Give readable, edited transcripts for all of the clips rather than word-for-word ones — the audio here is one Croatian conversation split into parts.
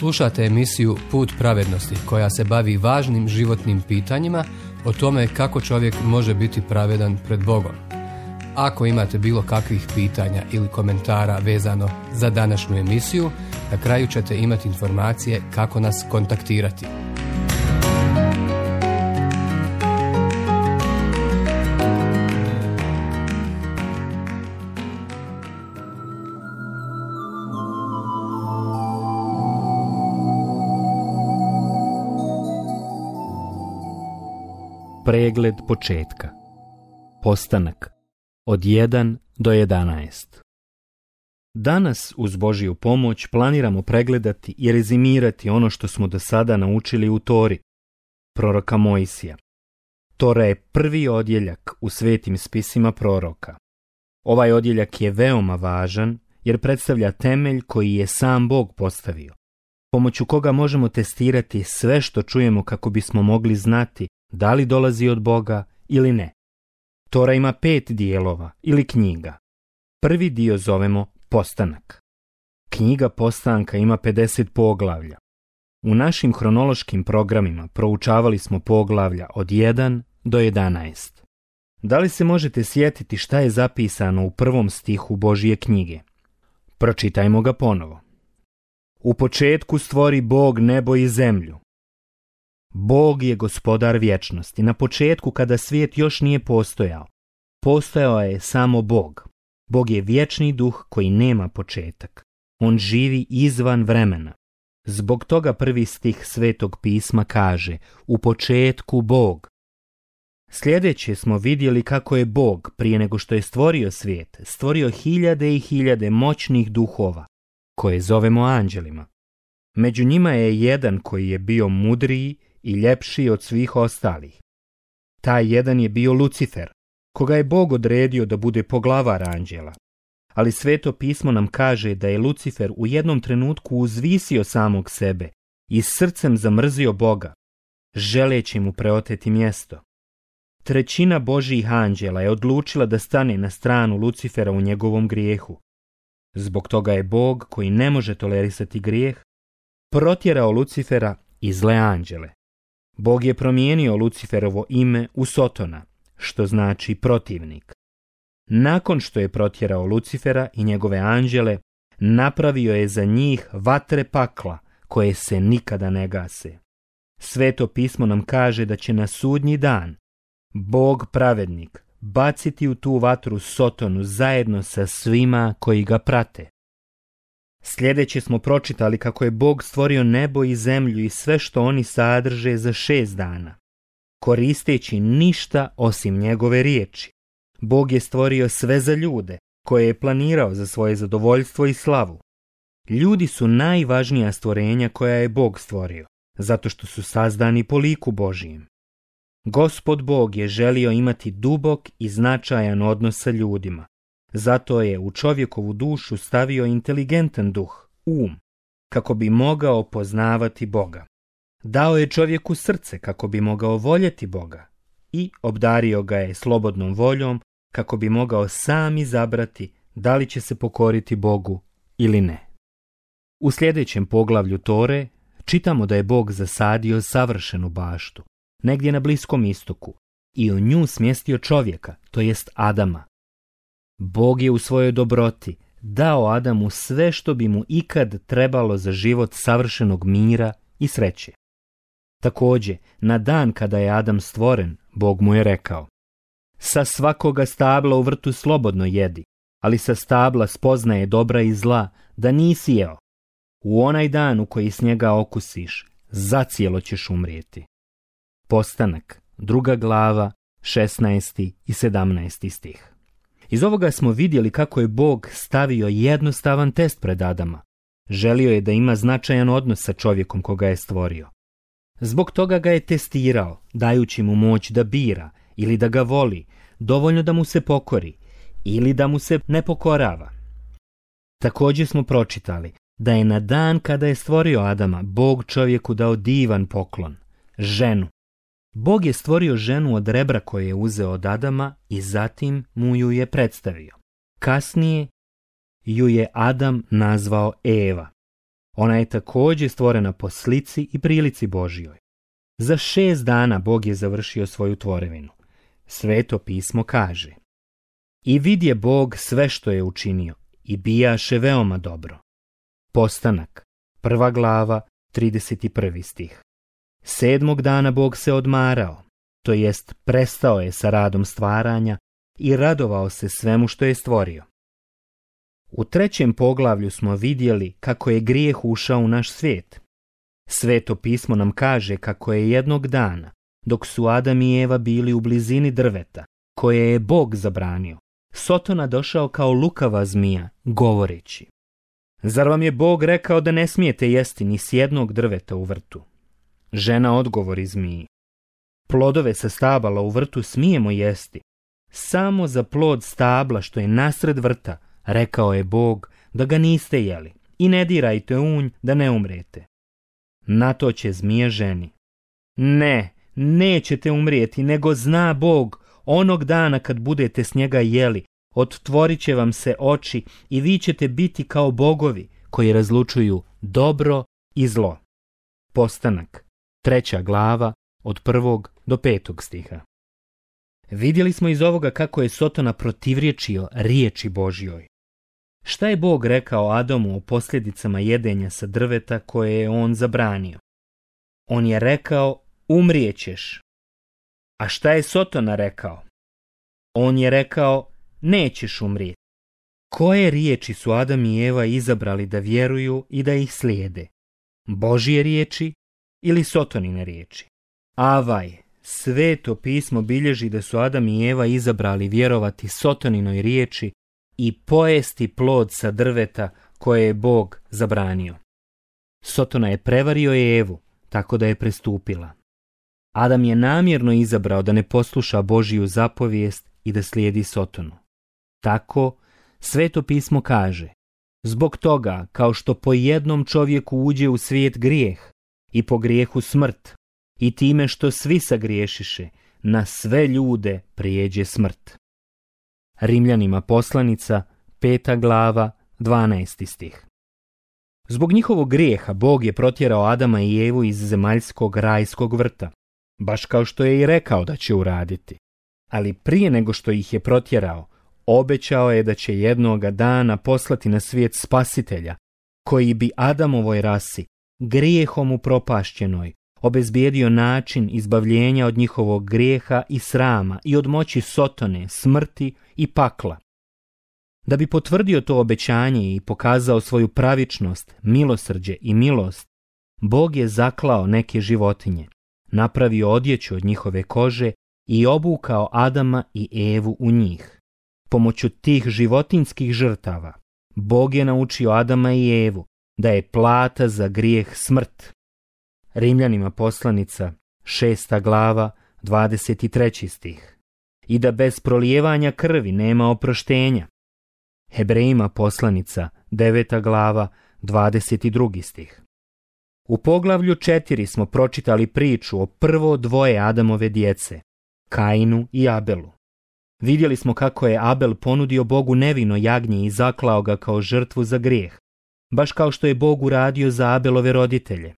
Slušate emisiju Put pravednosti koja se bavi važnim životnim pitanjima o tome kako čovjek može biti pravedan pred Bogom. Ako imate bilo kakvih pitanja ili komentara vezano za današnju emisiju, na kraju ćete imati informacije kako nas kontaktirati. Pregled početka. Postanak od 1 do 11. Danas uz Božju pomoć planiramo pregledati i rezimirati ono što smo do sada naučili u Tori, proroka Mojsija. Tora je prvi odjeljak u svetim spisima proroka. Ovaj odjeljak je veoma važan jer predstavlja temelj koji je sam Bog postavio, pomoću koga možemo testirati sve što čujemo kako bismo mogli znati da li dolazi od Boga ili ne. Tora ima 5 dijelova ili knjiga. Prvi dio zovemo Postanak. Knjiga Postanka ima 50 poglavlja. U našim hronološkim programima proučavali smo poglavlja od 1 do 11. Da li se možete sjetiti šta je zapisano u prvom stihu Božje knjige? Pročitajmo ga ponovo. U početku stvori Bog nebo i zemlju. Bog je gospodar vječnosti. Na početku, kada svijet još nije postojao, postojao je samo Bog. Bog je vječni duh koji nema početak. On živi izvan vremena. Zbog toga prvi stih Svetog pisma kaže: u početku Bog. Sljedeće smo vidjeli kako je Bog, prije nego što je stvorio svijet, stvorio hiljade i hiljade moćnih duhova, koje zovemo anđelima. Među njima je jedan koji je bio mudriji i ljepši od svih ostalih. Taj jedan je bio Lucifer, koga je Bog odredio da bude poglavar anđela. Ali Sveto pismo nam kaže da je Lucifer u jednom trenutku uzvisio samog sebe i srcem zamrzio Boga, želeći mu preoteti mjesto. Trećina Božjih anđela je odlučila da stane na stranu Lucifera u njegovom grijehu. Zbog toga je Bog, koji ne može tolerisati grijeh, protjerao Lucifera i zle anđele. Bog je promijenio Luciferovo ime u Sotona, što znači protivnik. Nakon što je protjerao Lucifera i njegove anđele, napravio je za njih vatre pakla koje se nikada ne gase. Sveto pismo nam kaže da će na sudnji dan Bog pravednik baciti u tu vatru Sotonu zajedno sa svima koji ga prate. Sljedeće smo pročitali kako je Bog stvorio nebo i zemlju i sve što oni sadrže za 6 dana, koristeći ništa osim njegove riječi. Bog je stvorio sve za ljude, koje je planirao za svoje zadovoljstvo i slavu. Ljudi su najvažnija stvorenja koja je Bog stvorio, zato što su sazdani po liku Božijem. Gospod Bog je želio imati dubok i značajan odnos sa ljudima. Zato je u čovjekovu dušu stavio inteligentan duh, kako bi mogao poznavati Boga. Dao je čovjeku srce kako bi mogao voljeti Boga i obdario ga je slobodnom voljom kako bi mogao sam izabrati da li će se pokoriti Bogu ili ne. U sljedećem poglavlju Tore čitamo da je Bog zasadio savršenu baštu, negdje na Bliskom istoku, i u nju smjestio čovjeka, to jest Adama. Bog je u svojoj dobroti dao Adamu sve što bi mu ikad trebalo za život savršenog mira i sreće. Također, na dan kada je Adam stvoren, Bog mu je rekao: sa svakoga stabla u vrtu slobodno jedi, ali sa stabla spoznaje dobra i zla da nisi jeo. U onaj dan u koji s njega okusiš, zacijelo ćeš umrijeti. Postanak, 2. glava, 16. i 17. stih. Iz ovoga smo vidjeli kako je Bog stavio jednostavan test pred Adama. Želio je da ima značajan odnos sa čovjekom koga je stvorio. Zbog toga ga je testirao, dajući mu moć da bira ili da ga voli, dovoljno da mu se pokori ili da mu se ne pokorava. Također smo pročitali da je na dan kada je stvorio Adama, Bog čovjeku dao divan poklon, ženu. Bog je stvorio ženu od rebra koje je uzeo od Adama i zatim mu ju je predstavio. Kasnije ju je Adam nazvao Eva. Ona je također stvorena po slici i prilici Božjoj. Za 6 dana Bog je završio svoju tvorevinu. Sveto pismo kaže: I vidje Bog sve što je učinio, i bijaše veoma dobro. Postanak, 1. glava, 31. stih. 7. dana Bog se odmarao, to jest prestao je sa radom stvaranja i radovao se svemu što je stvorio. U 3. poglavlju smo vidjeli kako je grijeh ušao u naš svijet. Sveto pismo nam kaže kako je jednog dana, dok su Adam i Eva bili u blizini drveta, koje je Bog zabranio, Sotona došao kao lukava zmija, govoreći: Zar vam je Bog rekao da ne smijete jesti ni s jednog drveta u vrtu? Žena odgovori zmiji: Plodove sa stabala u vrtu smijemo jesti, samo za plod stabla što je nasred vrta, rekao je Bog da ga niste jeli, i ne dirajte unj da ne umrete. Na to će zmija ženi: Ne, nećete umrijeti, nego zna Bog, onog dana kad budete s njega jeli, ottvorit će vam se oči i vi ćete biti kao bogovi koji razlučuju dobro i zlo. Postanak, 3. glava, od 1. do 5. stiha. Vidjeli smo iz ovoga kako je Sotona protivrječio riječi Božjoj. Šta je Bog rekao Adamu o posljedicama jedenja sa drveta koje je on zabranio? On je rekao: umrijećeš. A šta je Sotona rekao? On je rekao: nećeš umrijeti. Koje riječi su Adam i Eva izabrali da vjeruju i da ih slijede? Božje riječi ili Sotonine riječi? Avaj, Sveto pismo bilježi da su Adam i Eva izabrali vjerovati Sotoninoj riječi i pojesti plod sa drveta koje je Bog zabranio. Sotona je prevario Evu tako da je prestupila. Adam je namjerno izabrao da ne posluša Božju zapovijest i da slijedi Sotonu. Tako, Sveto pismo kaže: zbog toga, kao što po jednom čovjeku uđe u svijet grijeh i po grijehu smrt, i time što svi sagriješiše, na sve ljude prijeđe smrt. Rimljanima poslanica, 5. glava, 12. stih. Zbog njihovog grijeha Bog je protjerao Adama i Evu iz zemaljskog rajskog vrta, baš kao što je i rekao da će uraditi. Ali prije nego što ih je protjerao, obećao je da će jednoga dana poslati na svijet spasitelja, koji bi Adamovoj rasi, grijehom upropašćenoj, obezbijedio način izbavljenja od njihovog grijeha i srama i od moći Sotone, smrti i pakla. Da bi potvrdio to obećanje i pokazao svoju pravičnost, milosrđe i milost, Bog je zaklao neke životinje, napravio odjeću od njihove kože i obukao Adama i Evu u njih. Pomoću tih životinjskih žrtava, Bog je naučio Adama i Evu da je plata za grijeh smrt. Rimljanima poslanica, 6. glava, 23. stih. I da bez prolijevanja krvi nema oproštenja. Hebrejima poslanica, 9. glava, 22. stih. U poglavlju 4 smo pročitali priču o prvo dvoje Adamove djece, Kainu i Abelu. Vidjeli smo kako je Abel ponudio Bogu nevino jagnje i zaklao ga kao žrtvu za grijeh, baš kao što je Bog uradio za Abelove roditelje.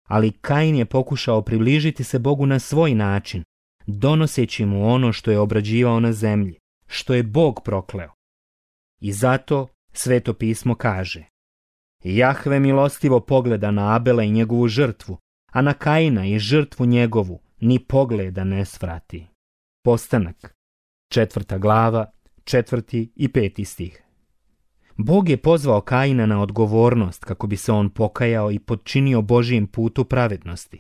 Ali Kain je pokušao približiti se Bogu na svoj način, donoseći mu ono što je obrađivao na zemlji, što je Bog prokleo. I zato Sveto pismo kaže: Jahve milostivo pogleda na Abela i njegovu žrtvu, a na Kaina i žrtvu njegovu ni pogleda ne svrati. Postanak, 4. glava, 4. i 5. stih. Bog je pozvao Kaina na odgovornost kako bi se on pokajao i potčinio Božijem putu pravednosti,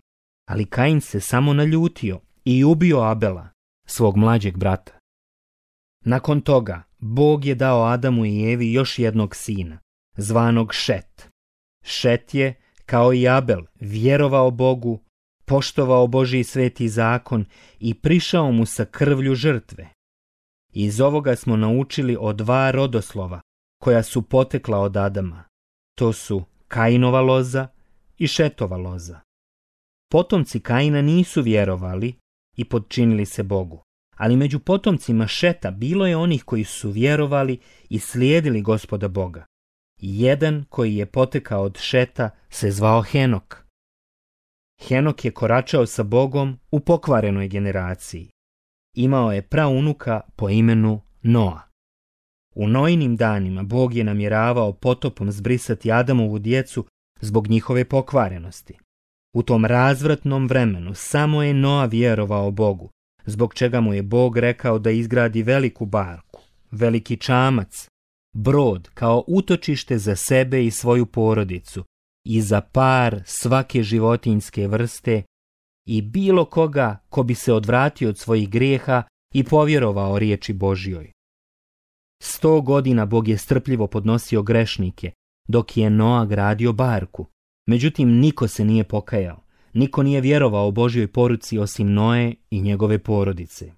ali Kain se samo naljutio i ubio Abela, svog mlađeg brata. Nakon toga, Bog je dao Adamu i Evi još jednog sina, zvanog Šet. Šet je, kao i Abel, vjerovao Bogu, poštovao Božji sveti zakon i prišao mu sa krvlju žrtve. Iz ovoga smo naučili o 2 rodoslova koja su potekla od Adama. To su Kainova loza i Šetova loza. Potomci Kaina nisu vjerovali i potčinili se Bogu, ali među potomcima Šeta bilo je onih koji su vjerovali i slijedili Gospoda Boga. Jedan koji je potekao od Šeta se zvao Henok. Henok je koračao sa Bogom u pokvarenoj generaciji. Imao je praunuka po imenu Noa. U Noinim danima Bog je namjeravao potopom zbrisati Adamovu djecu zbog njihove pokvarenosti. U tom razvratnom vremenu samo je Noa vjerovao Bogu, zbog čega mu je Bog rekao da izgradi veliku barku, veliki čamac, brod kao utočište za sebe i svoju porodicu i za par svake životinjske vrste i bilo koga ko bi se odvratio od svojih grijeha i povjerovao riječi Božjoj. 100 godina Bog je strpljivo podnosio grešnike dok je Noa gradio barku. Međutim, niko se nije pokajao. Niko nije vjerovao Božjoj poruci osim Noe i njegove porodice.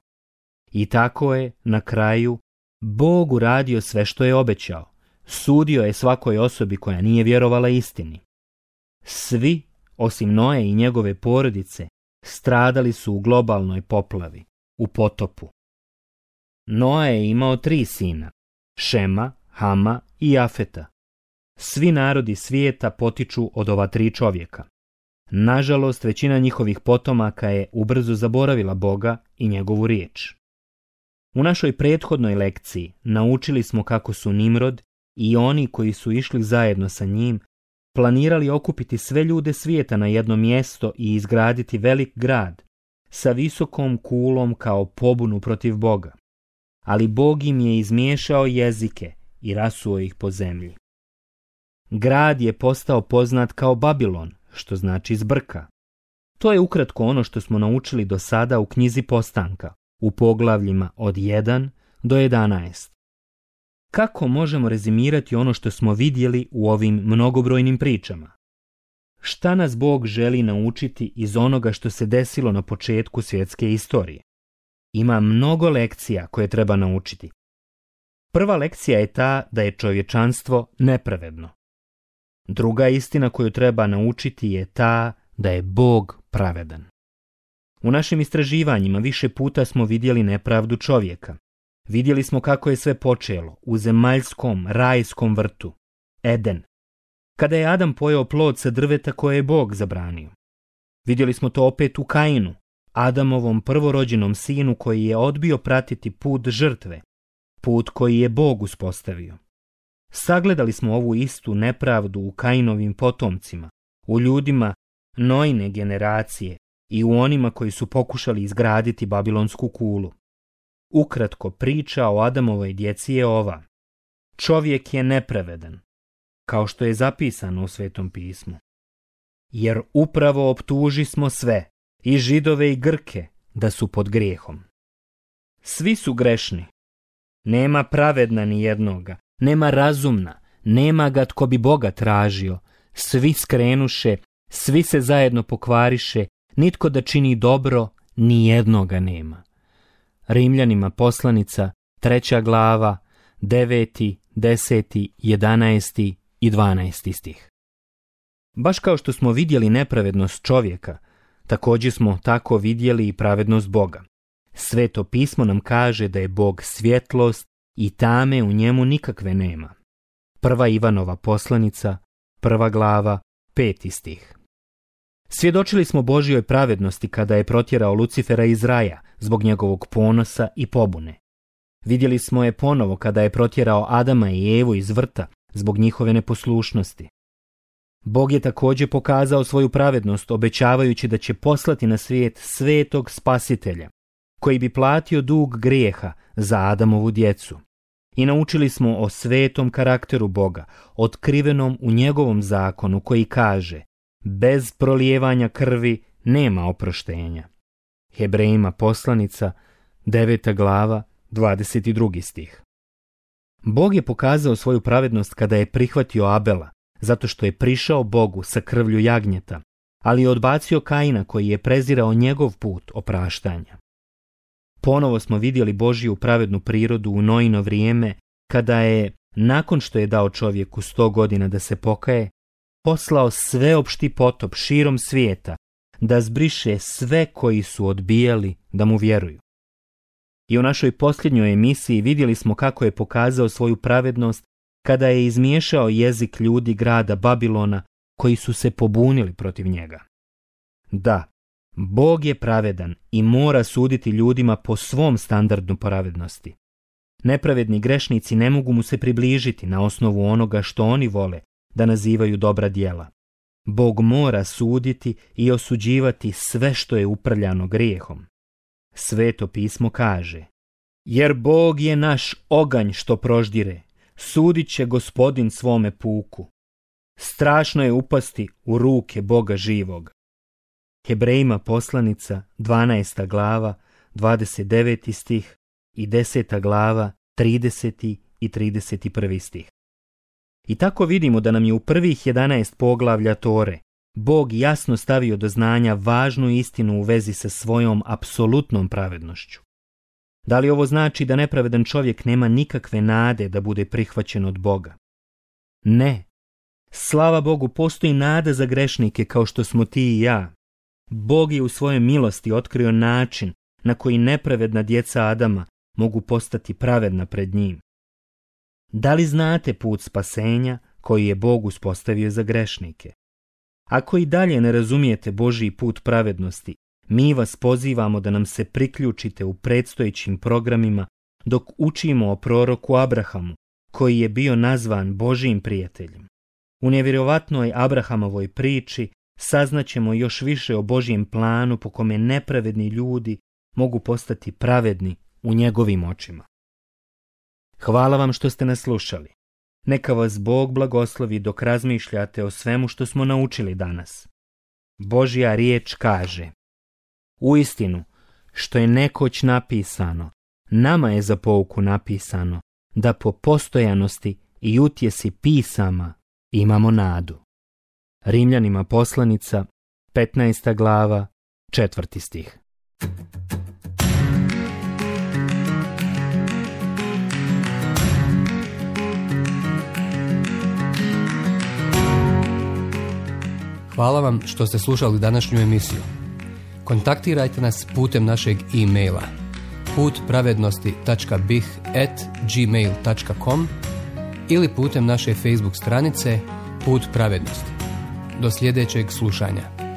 I tako je, na kraju, Bog uradio sve što je obećao. Sudio je svakoj osobi koja nije vjerovala istini. Svi, osim Noe i njegove porodice, stradali su u globalnoj poplavi, u potopu. Noa je imao 3 sina, Šema, Hama i Jafeta. Svi narodi svijeta potiču od ova 3 čovjeka. Nažalost, većina njihovih potomaka je ubrzo zaboravila Boga i njegovu riječ. U našoj prethodnoj lekciji naučili smo kako su Nimrod i oni koji su išli zajedno sa njim planirali okupiti sve ljude svijeta na jedno mjesto i izgraditi velik grad sa visokom kulom kao pobunu protiv Boga. Ali Bog im je izmiješao jezike i rasuo ih po zemlji. Grad je postao poznat kao Babilon, što znači zbrka. To je ukratko ono što smo naučili do sada u knjizi Postanka, u poglavljima od 1 do 11. Kako možemo rezimirati ono što smo vidjeli u ovim mnogobrojnim pričama? Šta nas Bog želi naučiti iz onoga što se desilo na početku svjetske istorije? Ima mnogo lekcija koje treba naučiti. Prva lekcija je ta da je čovječanstvo nepravedno. Druga istina koju treba naučiti je ta da je Bog pravedan. U našim istraživanjima više puta smo vidjeli nepravdu čovjeka. Vidjeli smo kako je sve počelo u zemaljskom, rajskom vrtu, Eden, kada je Adam pojeo plod sa drveta koje je Bog zabranio. Vidjeli smo to opet u Kainu, Adamovom prvorođenom sinu koji je odbio pratiti put žrtve, put koji je Bog uspostavio. Sagledali smo ovu istu nepravdu u Kainovim potomcima, u ljudima Noine generacije i u onima koji su pokušali izgraditi Babilonsku kulu. Ukratko, priča o Adamovoj djeci je ova. Čovjek je nepravedan, kao što je zapisano u Svetom pismu. Jer upravo optuži smo sve, i Židove i Grke, da su pod grijehom. Svi su grešni. Nema pravedna ni jednoga, nema razumna, nema ga tko bi Boga tražio. Svi skrenuše, svi se zajedno pokvariše, nitko da čini dobro, ni jednoga nema. Rimljanima poslanica, 3. glava, 9., 10., 11. i 12. stih. Baš kao što smo vidjeli nepravednost čovjeka, također smo tako vidjeli i pravednost Boga. Sveto pismo nam kaže da je Bog svjetlost i tame u njemu nikakve nema. 1. Ivanova poslanica, 1. glava, 5. stih. Svjedočili smo Božjoj pravednosti kada je protjerao Lucifera iz raja zbog njegovog ponosa i pobune. Vidjeli smo je ponovo kada je protjerao Adama i Evu iz vrta zbog njihove neposlušnosti. Bog je također pokazao svoju pravednost obećavajući da će poslati na svijet svetog spasitelja, koji bi platio dug grijeha za Adamovu djecu. I naučili smo o svetom karakteru Boga, otkrivenom u njegovom zakonu koji kaže: bez prolijevanja krvi nema oproštenja. Hebrejima poslanica, 9. glava, 22. stih. Bog je pokazao svoju pravednost kada je prihvatio Abela, zato što je prišao Bogu sa krvlju jagnjeta, ali je odbacio Kaina koji je prezirao njegov put opraštanja. Ponovo smo vidjeli Božju pravednu prirodu u Noino vrijeme, kada je, nakon što je dao čovjeku 100 godina da se pokaje, poslao sveopšti potop širom svijeta, da zbriše sve koji su odbijali da mu vjeruju. I u našoj posljednjoj emisiji vidjeli smo kako je pokazao svoju pravednost kada je izmiješao jezik ljudi grada Babilona koji su se pobunili protiv njega. Da, Bog je pravedan i mora suditi ljudima po svom standardu pravednosti. Nepravedni grešnici ne mogu mu se približiti na osnovu onoga što oni vole da nazivaju dobra djela. Bog mora suditi i osuđivati sve što je uprljano grijehom. Sveto pismo kaže: jer Bog je naš oganj što proždire, sudit će Gospodin svome puku. Strašno je upasti u ruke Boga živog. Hebrejima poslanica, 12. glava, 29. stih i 10. glava, 30. i 31. stih. I tako vidimo da nam je u prvih 11 poglavlja Tore Bog jasno stavio do znanja važnu istinu u vezi sa svojom apsolutnom pravednošću. Da li ovo znači da nepravedan čovjek nema nikakve nade da bude prihvaćen od Boga? Ne. Slava Bogu, postoji nada za grešnike kao što smo ti i ja. Bog je u svojoj milosti otkrio način na koji nepravedna djeca Adama mogu postati pravedna pred njim. Da li znate put spasenja koji je Bog uspostavio za grešnike? Ako i dalje ne razumijete Božji put pravednosti, mi vas pozivamo da nam se priključite u predstojećim programima dok učimo o proroku Abrahamu, koji je bio nazvan Božjim prijateljem. U nevjerovatnoj Abrahamovoj priči saznaćemo još više o Božjem planu po kome nepravedni ljudi mogu postati pravedni u njegovim očima. Hvala vam što ste nas slušali. Neka vas Bog blagoslovi dok razmišljate o svemu što smo naučili danas. Božja riječ kaže: uistinu, što je nekoć napisano, nama je za pouku napisano, da po postojanosti i utjesi pisama imamo nadu. Rimljanima poslanica, 15. glava, 4. stih. Hvala vam što ste slušali današnju emisiju. Kontaktirajte nas putem našeg e-maila putpravednosti.bih@gmail.com ili putem naše Facebook stranice Put pravednosti. Do sljedećeg slušanja.